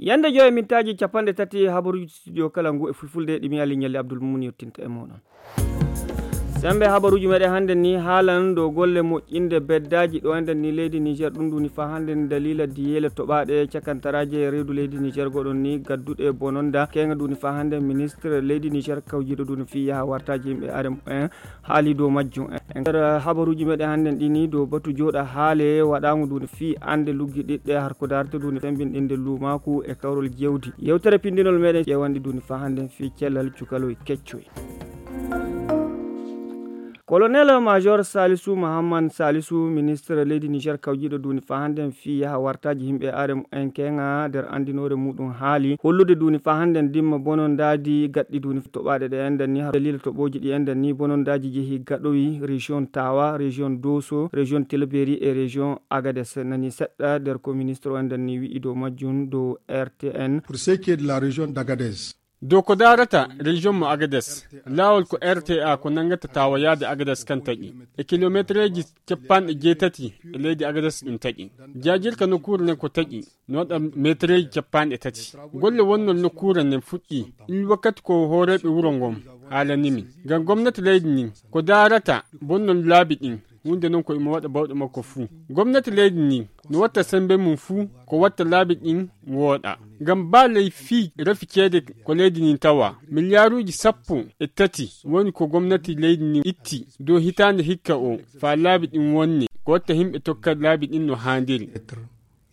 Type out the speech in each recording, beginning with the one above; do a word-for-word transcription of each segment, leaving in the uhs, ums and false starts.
Yande joyi mintaaji capanɗe tati habaruuji studio kala ngu e fulfulde ɗi mi Ali Ñalli Abdul Mumin yottinta e mooɗon. Sembe habaruuji meɗen hannde ni haalan dow golle moƴƴinde beddaaji ɗo enden ni leydi Niger ɗum duni faa hannde ni daliila diyeele toɓaaɗe cakantaraaje reedu leydi Niger goɗon ni gadduɗe bononda keŋa duni faa hannde ministre leydi Niger kawjiiɗo duni fii yaha wartaaji yimɓe arem en haali dow majjum. E nder habaruuji meɗen hannde ɗi ni dow batu jooɗa haale waɗaango duni fii annde luggi ɗiɗɗe harko daarta duni fembinɗinde luumaaku e kawrol jewdi. Yewtere pindinol meɗen ƴeewanɗi duni faa hannde fii cellal cukaloy keccoy. Colonel Major Salisu Mahamman Salisu, ministre leydi Niger kawjiiɗo duni faa hannde fii yaha wartaaji yimɓe arem en keŋa nder anndinoore muɗum haali hollude duni faa hannde dimma bonondaadi gaɗɗi duni toɓaaɗe ɗe enden ni har daliila toɓooji ɗi enden ni bonondaaji jehi gaɗoyi région Tawa, région Dosso, région Tilaberi e région Agadez. Nani seɗɗa nder ko ministre o enden ni wi'i dow majjum dow R T N. Pour ce qui est de la région d'Agadez. Dow ko daarata région mo Agadez, laawol ko R T A ko nanngata Tawa yaade Agadez kan taƴi. E kilometereeji capanɗe jeetati e leydi Agadez ɗum taƴi. Jaajirka nokkuure nden ko taƴi, no waɗa metereeji capanɗe tati. Golle wonnol nokkuure nden fuɗɗi, il wakkati ko hooreeɓe wuro ngon haalani min. Ngam gomnati leydi ndin, ko daarata bonnol laabi ɗin, huunde non ko imo waɗa bawɗe makko fuu. Gomnati leydi ndin, no watta sembe mum fuu, ko watta laabi ɗin wooɗa. Ngam baa ley fii rafi ceede ko leydi ndin tawa, miliyaaruuji sappo e tati woni ko gomnati leydi ndin itti dow hitaande hikka o, faa laabi ɗin wonne, ko watta yimɓe tokka laabi ɗin no haandiri. Être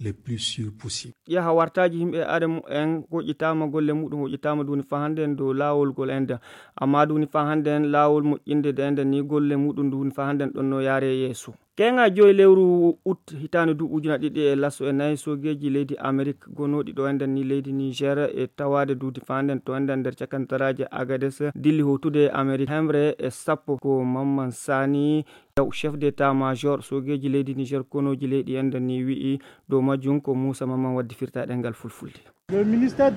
le plus sûr possible. Yaha wartaaji yimɓe are mumen hoƴƴitaama, golle muɗum hoƴƴitaama duni faa hannde en dow laawol ngol enda. Amma duni faa hannde en laawol moƴƴinde de enda ni golle muɗum duni faa hannde en ɗon no yaare yeeso. Keŋa joyi lewru ut hitaande duuɓi ujuna ɗiɗi e laso e nayi soogeeji leydi Amerik gonooɗi ɗo enda ni leydi Niger e tawaade duni faa hannde en to enda nder cakantaraaje Agades dilli hootude Amerik hemre e sappo ko Mamman Sani Yaw, chef d'état major soogeeji leydi Niger konooji leydi enda ni wi'i dow majjum ko Muusa Mamman waddi firta ɗemngal fulfulde. Minister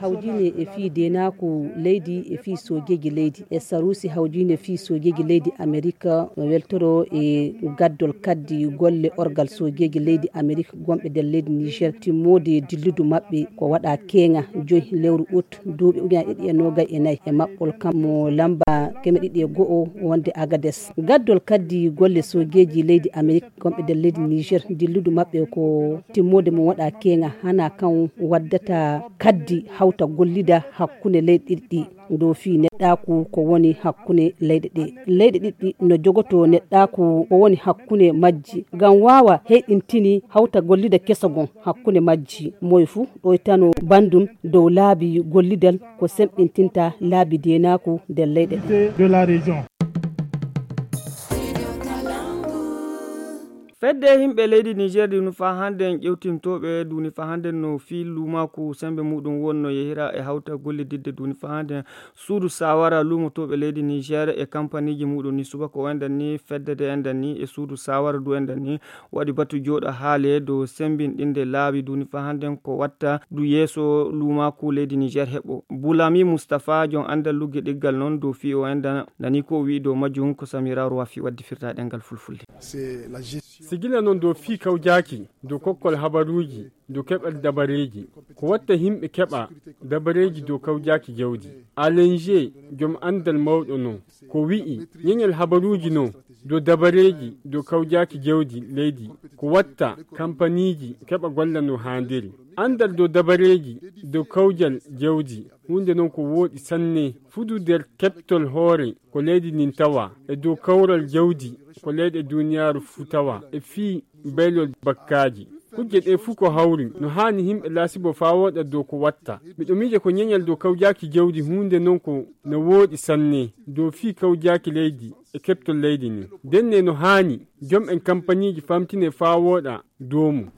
hawjine e fii deenaaku leydi e fii soogeeji leydi e saruusi hawjine fii soogeeji leydi Amerik no weltoro e gaddol kaddi golle orgal soogeeji leydi Amerik gonɓe nder leydi Niger timmoode dilludu maɓɓe ko waɗa keeŋa joyi lewru ut duuɓi ujunaaji ɗiɗi e noogay e nayi e maɓɓol kam mo lamba keme ɗiɗi e go'o wonde Agades. Gaddol kaddi golle soogeeji leydi Amerik gonɓe nder leydi Niger dilludu maɓɓe ko timmoode mum waɗa keeŋa hana kan waddata kaddi hawta gollida hakkunde leyɗe ɗiɗi ɗi. Dow fii neɗɗaaku ko woni hakkunde leyɗe ɗe. Leyɗe ɗiɗi no jogoto neɗɗaaku ko woni hakkunde majji ngam waawa heyɗintini hawta gollida keso gon hakkunde majji. Moy fuu ɗoytano bandum dow laabi gollidal ko semɓintinta laabi deenaaku nder leyɗe ɗe. Fedde yimɓe leydi Niger duni faa hannde en ƴewtintooɓe duni faa hannde no fii luumaaku sembe muɗum wonno yehira e hawta gollididde duni faa hannde suudu sawara luumotooɓe leydi Niger e kampaniiji muɗum ni subaka o enden ni fedde de enden ni e suudu sawara du enden ni waɗi batu jooɗa haale dow sembinɗinde laabi duni faa hannde ko watta du yeeso luumaaku leydi Niger heɓo. Bulami Mustapha jon anndal lugge ɗiggal noon dow fii o enden nani ko o wi'i dow majjum ko Samira Roafi waddi firta ɗemngal fulfulde. Sigila noon dow fii kawjaaki dow kokkol habaruuji dow keɓal dabareeji ko watta yimɓe keɓa dabareeji dow kawjaaki jawdi. Alenje jom anndal mawɗo noon ko wi'i ñeñal habaruuji noon dow dabareeji dow kawjaaki jawdi leydi ko watta kampaniiji keɓa golla no haandiri. Anndal dow dabareeji dow kawjal jawdi huunde noon ko wooɗi sanne fudu nder keɓtol hoore ko leydi ndin tawa e dow kawral jawdi ko leyɗe duniyaaru fuu tawa e fii baylol bakkaaji. Kujje ɗee fuu ko hawri no haani yimɓe laasibo faa wooɗa dow ko watta. Miɗo miija ko ñeñal dow kawjaaki jawdi huunde noon ko no wooɗi sanne dow fii kawjaaki leydi e keɓtol leydi ndin. Ndenne no haani jom en kampaniiji famtine faa wooɗa dow mum.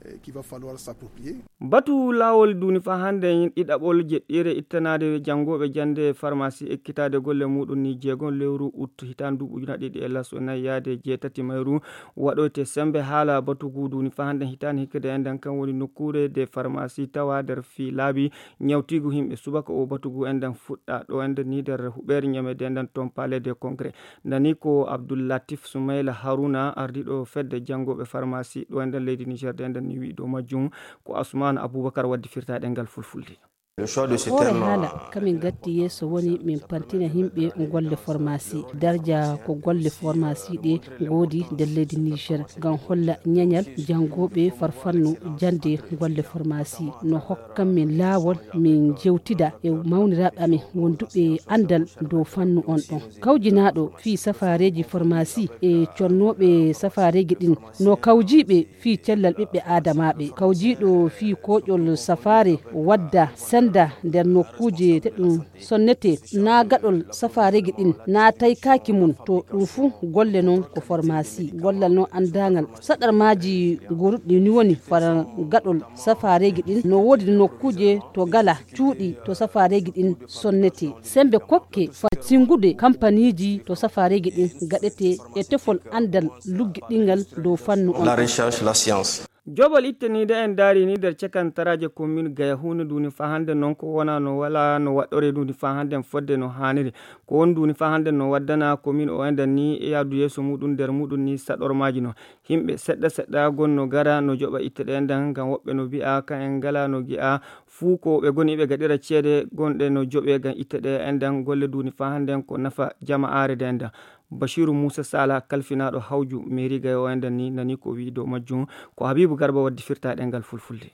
Batu laawol duni faa hannde en ɗiɗaɓol jeɗɗiire ittanaade janngooɓe jannde farmasi ekkitaade golle muɗum ni jeegon lewru ut hitaande duuɓi ujunaaji ɗiɗi e laso nayi yaade jeetati mayru waɗoyte sembe haala batugu duni faa hannde hitaande hikkade enden kan woni nokkuure de farmasi tawa nder fii laabi ñawtiigu yimɓe subaka o batugu enden fuɗɗa ɗo enden ni nder huɓeere ñameede enden toon palais de congrès. Nani ko Ko Abdul Latif Sumayla Haruna, ardiiɗo fedde janngooɓe farmasi ɗo e nder leydi Niger, de nden ni wi'i dow majjum. Ko Asman Abubakar waddi firta ɗengal fulfulde. Hoore haala kamin gatti yeeso woni min pantina yimɓe golle formasi. Darja ko golle formasi ɗe ngoodi nder leydi Niger ngam holla ñañal janngooɓe farfannu jannde golle formasi. No hokkan min laawol min jewtida e mawniraaɓe amin wonduɓe anndal dow fannu on ɗon. Kawjinaaɗo fii safaareeji formasi e connooɓe safaareeji ɗin no kawjiiɓe fii cellal ɓiɓɓe aadamaaɓe. Kawjiiɗo fii kooƴol safaare wadda senda nder nokkuuje te ɗum sonnete naa gaɗol safaareeji ɗin naa taykaaki mum. To ɗum fuu golle non ko formasi. Gollal non anndaangal saɗarmaaji goruɗi ni woni fara gaɗol safaareeji ɗin. No woodi nokkuuje to gala cuuɗi to safaareeji ɗin sonnete. Sembe kokke fa singude kampaniiji to safaareeji ɗin gaɗete e tefol anndal luggiɗingal dow fannu on. La recherche, la science. Joɓol itte ni de en daari ni nder cakantaraaje komin gaya huunde nduni fa hannde non ko wona no wala no waɗɗore nduni fa hannde fodde no haaniri. Ko won nduni fa hannde no waddana komin o enden ni e yaadu yeeso muɗum nder muɗum ni saɗormaaji no. Yimɓe seɗɗa seɗɗa gonno gara no joɓa itte ɗe nden ngam woɓɓe no mbi'a ka en ngala no gi'a fuu ko ɓe goni ɓe gaɗira ceede gonɗe no joɓe ngam itte ɗe enden golle nduni fa hannde ko nafa jama'aare de nden. Bashiru Musa Sala kalfinaaɗo hawju mairie gayo o enden ni nani ko wi'i dow majjum. Ko Habibu Garba waddi firta ɗengal fulfulde.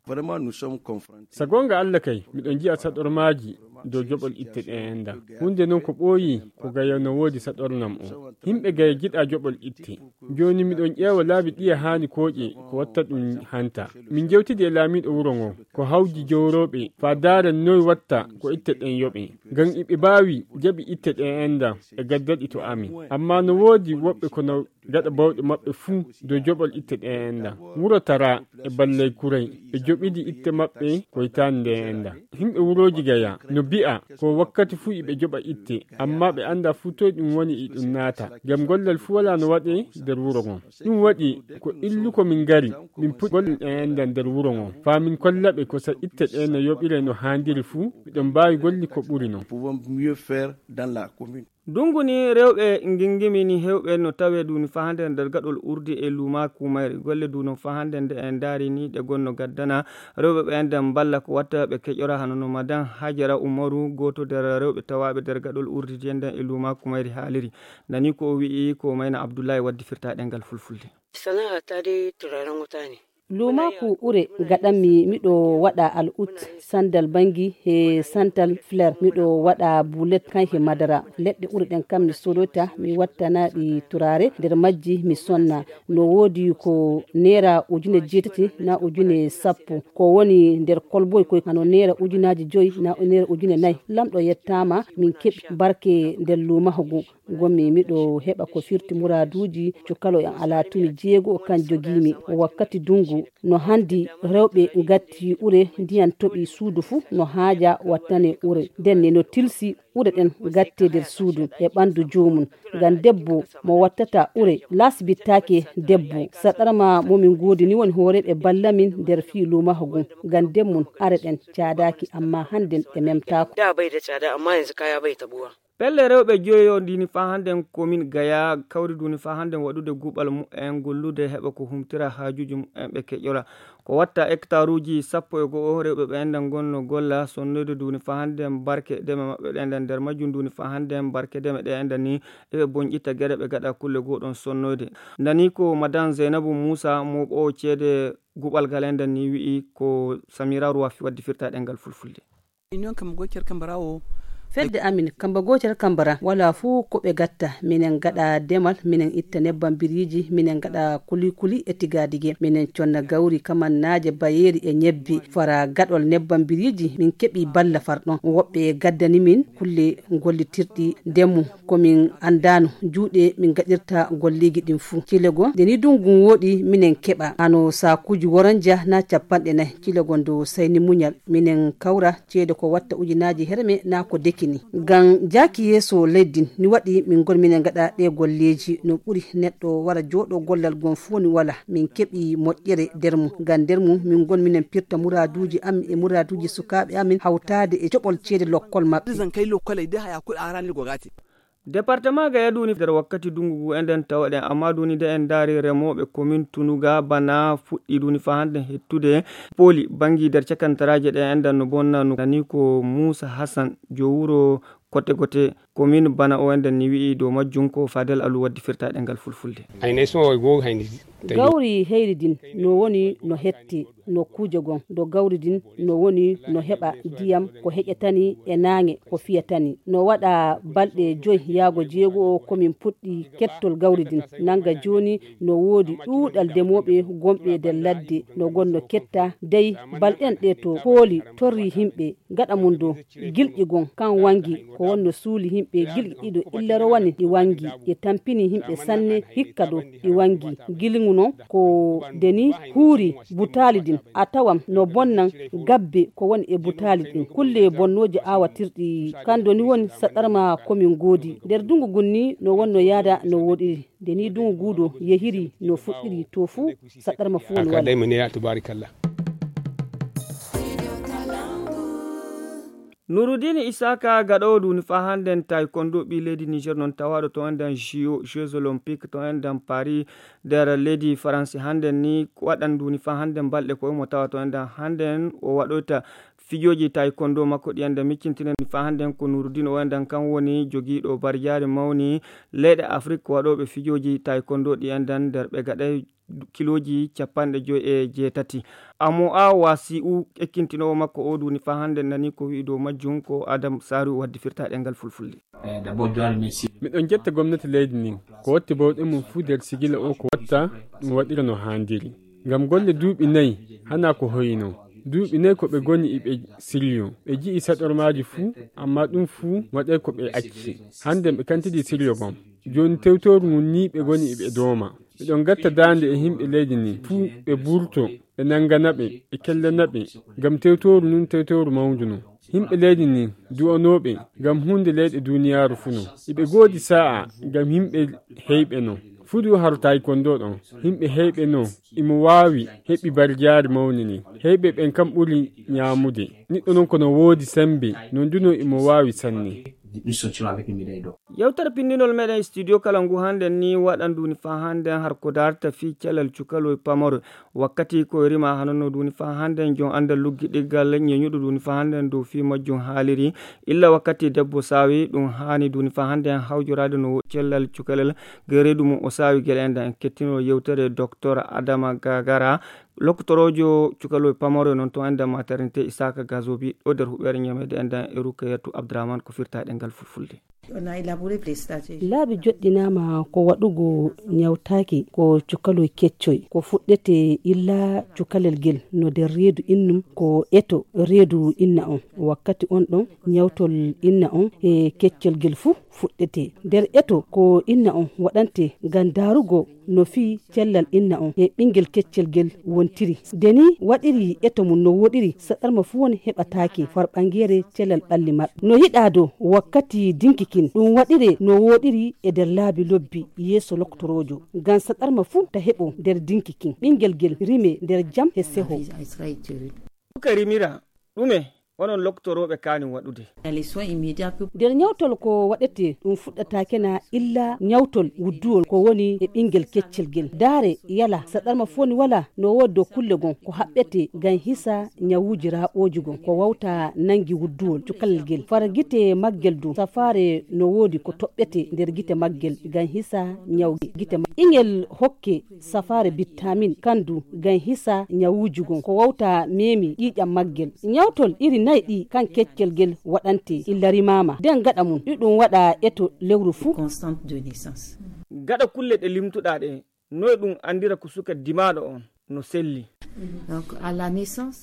Vraiment, nous sommes confrontés. Sa goonga Allah kay, miɗo nji'a saɗormaaji dow joɓol itte ɗe enda. Huunde non ko ɓooyi ko gayo no woodi saɗornam o. Yimɓe gayo jiɗa joɓol itte. Jooni miɗon ƴeewa laabi ɗiya haani kooƴe ko watta ɗum hanta. Min jewtidi e laamiiɗo wuro ngo, ko hawji jowrooɓe, faa daara noy watta ko itte ɗen yoɓe. Ngam iɓe baawi jaɓi itte ɗe enda e gaddaɗi to amin. Ammaa no woodi woɓɓe kono gaɗa bawɗe maɓɓe fuu dow joɓol itte ɗe enda. Wuro Tara e Ballay Kuray ɓe joɓidi itte maɓɓe ko hitaande nde enda. Yimɓe wurooji Gaya no mbi'a ko wakkati fuu iɓe joɓa itte, ammaa ɓe anndaa fuu toy ɗum woni e ɗum naata. Ngam gollal fuu walaa no waɗee nder wuro ngon. Ɗum waɗi ko illuko min ngari, min puɗɗi golle ɗe enda nder wuro ngon. Faa min kolla ɓe ko sa itte ɗe no yoɓiree no haandiri fuu, miɗon mbaawi golli ko ɓuri non. Pouvons mieux faire dans la commune. Ndungu ni rewɓe ngingimi ni heewɓe no tawee duuni fahande nder gaɗol urdi e luumaaku mayri. Golle duuno fahande nde en ndaari ni ɗe gonno gaddana rewɓe ɓe enden mballa ko watta ɓe keƴora hano no madan Hajara Umaru, gooto nder rewɓe tawaaɓe nder gaɗol urdi nden e luumaaku mayri haaliri. Nani ko o wi'i ko Mayna Abdullahi waddi firta ɗengal fulfulde. Sana'a ta dai turaren wuta ne. Luumaaku ure gaɗanmi miɗo waɗa al'ut, sandal bangi he santal flair, miɗo waɗa bulet kan he madara. Leɗɗe ure ɗen kam mi sodota mi wattana ɗi turaare, nder majji mi sonna. No woodi ko neera ujune jeetati na ujune sappo. Ko woni nder kolboy koy hano neera ujunaaji joyi na neera ujune nayi. Lamɗo yettaama min keɓi barke nder luumaaku ngu. Ngonmi miɗo heɓa ko firti muraaduuji cukalo en alaa tumi jeego kan jogiimi. Wakkati dungu no handi rewɓe ngatti ure ndiyan toɓi suudu fuu no haaja wattane ure. Nden ne no tilsi ure ɗen gatte nder suudu e ɓandu joomum. Ngam debbo mo wattata ure lasbittaake debbo. Saɗarma mo min ngoodi ni woni hooreeɓe ballamin nder fii luumaaku ngu. Ngam ndemmun are ɗen caadaaki amma hannden ɗe memtaako. Da bai da tsada amma yanzu kaya bai tabuwa. Pelle rewɓe joyo ndini faa hannden komin Gaya kawri duni faa hannden waɗude guɓal mu'en gollude heɓa ko humtira haajuuji mu'en ɓe keƴora. Ko watta hektaruuji sappo e go'o rewɓe ɓe enden ngonno golla sonnoyde duni faa hannden barke deme maɓɓe ɗe enden nder majjum duni faa hannden barke deme ɗe enden ni eɓe bonƴita gere ɓe gaɗa kulle goo ɗon sonnoyde. Nani ko Madan Zeynabu Muusa mooɓoowo ceede guɓal ngal enden ni wi'i ko Samira Ruwafi waddi firta ɗengal fulfulde. Union Kamba Gocer Kambara o. Fedde amin Kamba Gocer Kambara wala fuu ko ɓe gatta. Minen gaɗa demal, minen itta nebban biriiji, minen gaɗa kulikuli e tigadige. Minen conna gawri, kamannaaje, bayeeri e ñebbe. Fara gaɗol nebban biriiji, min keɓi balla far ɗon. Woɓɓe gaddani min kulle gollitirɗi ndemu. Ko min anndaano juuɗe min gaɗirta golleeji ɗin fuu. Cilego, nde ni dungu wooɗi, minen keɓa hano saakuuji woranja na capanɗe nayi. Cilego ndo sayni muñal, minen kawra ceede ko watta ujunaaji herme na ko dekini. Ngam jaaki yeeso leydi ni waɗi min ngon minen ngaɗa ɗe golleeji no ɓuri neɗɗo wara jooɗo gollal gon fuu ni wala. Min keɓi moƴƴere nder mum. Ngam nder mum min ngon minen pirta muraaduuji amin e muraaduuji sukaaɓe amin hawtaade e joɓol ceede lokkol maɓɓe. Zan kai lokkolai dai haya kuɗi a ranar gogati. Departement ga yaduuni nder wakkati dungu ngu enden tawaɗen, amma duni de en daari remooɓe komin Tunuga bana fuɗɗi duni faa hande hettude pooli bangi nder cakantaraaje ɗe enden no bonna no nani ko Muusa Hasan jo wuro Kote Gote komin bana o enden ni wi'i dow majjum ko Fadel Alu waddi firtaaɗe ngal fulfulde. Ay, nay so o go hayni tawi. Gawri heyri din no woni no hetti nokkuuje gon do gawri din no woni no heɓa ndiyam ko heƴatani e naange ko fiyatani. No waɗa balɗe joy yaago jeego o komin puɗɗi kettol gawri din. Nanga jooni no woodi ɗuuɗal demooɓe gonɓe nder ladde no gonno ketta dey balɗen ɗe to pooli torri himɓe gaɗa mum do gilƴi gon kan wangi ko wonno suuli himɓe gilƴi ɗiɗo illa rowani ɗi wangi e tampini himɓe sanne hikka do ɗi wangi. Gilŋu non ko deni huuri butaali din a tawan no bonnan gabbe ko woni e butaali din kulle bonnooji aawatirɗi kando ni woni saɗarma komin goodi nder dungu gun ni no wonno yaada no woɗiri. Nde ni dungu guudo yehiri no fuɗɗiri to fuu saɗarma fuu woni wala. Nurudini Isaka gaɗoowo duni faa hannden taekwondo ɓii leydi Niger noon tawaaɗo to enɗan J O, Jeux Olympiques to enɗan Paris nder leydi Faransi hannden ni waɗan duni faa hannden balɗe ko imo tawa to enɗan hannden o waɗoyta fijooji taekwondo makko ɗi enɗan miccintinen faa hannden ko Nurudini o enɗan kan woni jogiiɗo barjaari mawni leyɗe Afrik waɗooɓe fijooji taekwondo ɗi enɗan nder ɓe gaɗay kilooji capanɗe joy e jeetati. Amo a wasi u ekkintinoowo makko o duni faa hannde nani ko wi'i dow majjum ko Adam Saru waddi firta ɗengal fulfulde. Miɗon jetta gomnati leydi ndin ko watti bawɗe mum fuu nder sigila o ko watta ɗum waɗira no haandiri. Ngam golle duuɓi nayi hana ko hoyino. Duuɓi nayi ko ɓe goni iɓe siryo ɓe ji'i saɗormaaji fuu amma ɗum fuu waɗay ko ɓe acci. Hannde ɓe kantidi siryo gom. Jooni tewtooru ngun nii ɓe goni iɓe dooma. Ɓe ɗon gatta daande e yimɓe leydi ndin fuu ɓe burto ɓe nanngana ɓe ɓe kellana ɓe. Ngam tewtooru ndun tewtooru mawndu no. Yimɓe leydi ndin du'anooɓe ngam huunde leyɗe duuniyaaru fuu no. Iɓe goodi saa'a ngam yimɓe heyɓe no. Fuu du haro taekwondo ɗon yimɓe heyɓe no. Imo waawi heɓi barjaari mawni ni. Heyɓe ɓen kam ɓuri ñaamude. Niɗɗo non ko no woodi semmbe non du no imo waawi sanne. Yewtere pinndinol meɗen studio kala ngu hannden ni waɗan duni faa hannden har ko darta fii calal cukaloy pamaro. Wakkati ko e rima hanonno duni faa hannden jon anndal luggiɗiggal ñeñuɗo duni faa hannden dow fii majjum haaliri. Illa wakkati debbo saawi ɗum haani duni faa hannden hawjoraade no cellal cukalel. Gereedu mum o saawi gele enɗan en kettino yewtere docteur Adama Gagara lokkotoroojo cukaloy pamaro non to enɗan maternité Isaka Gazobi ɗo nder huɓeere ñameede enɗan e Rukayatu Abdourahmane ko firta ɗengal fulfulde. Laabi joɗɗinaama ko waɗugo ñawtaaki ko cukaloy keccoy ko fuɗɗete illa cukalel gel no nder reedu innum ko eto reedu inna on. Wakkati on ɗon ñawtol inna on e keccel gel fuu fuɗɗete nder eto ko inna on waɗante ngam daarugo no fii cellal inna on e ɓinngel keccel gel wontiri. Nde ni waɗiri eto mum no woɗiri saɗarma fuu won heɓataake farɓangeere cellal ɓalli maɓɓe no yiɗaa dow wakkati dinki kin ɗum waɗire no woɗiri e nder laabi lobbi yeeso loktoroojo ngam saɗarma fuu ta heɓo nder dinki kin ɓinngel gel rime nder jam e seho. Suka rimira ɗume onon loktorooɓe kaani waɗude? Nder ñawtol ko waɗete ɗum fuɗɗataake na illa ñawtol wudduwol ko woni e ɓinngel keccel gel daare yala saɗarma foni wala no woodi dow kulle gon ko haɓɓete ngam hisa ñawuuji raaɓooji gon ko wawta nanngi wudduwol cukalel gel fara gite maggel du safaare no woodi ko toɓɓete nder gite maggel ngam hisa ñaw gite maggel ingel hokke safaare bittamin kandu ngam hisa ñawuuji gon ko wawta meemi ƴiiƴam maggel. Ñawtol iri nayi ɗi kan keccel gel waɗante illa rimaama nden gaɗa mum ɗi ɗum waɗa eto lewru fuu. Gaɗa kulle ɗe limtuɗaa ɗe noy ɗum anndira ko suka dimaaɗo on no selli?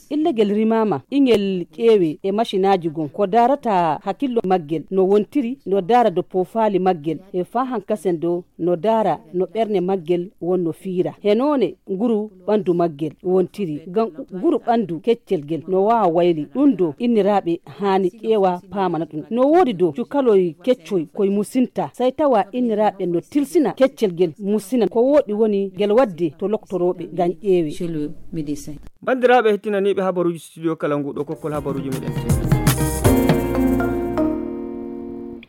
Illa gel rimaama ingel ƴeewe e macinaaji gon ko daarata hakillo maggel no wontiri no daara do poofaali maggel e faa hankasen do no daara no ɓernde maggel wonno fiira he noone nguru ɓanndu maggel wontiri ngam nguru ɓanndu keccel gel no waawa wayli ɗum do inniraaɓe haani ƴeewa paamana ɗum no woodi do cukaloy keccoy koy musinta say tawa inniraaɓe no tilsina keccel gel musina ko wooɗi woni ngel waɗde to loktorooɓe ngam ƴeewe. Banndiraaɓe hettinaniiɓe habaruuji studio kala ngu ɗo kokkol habaruuji meɗen.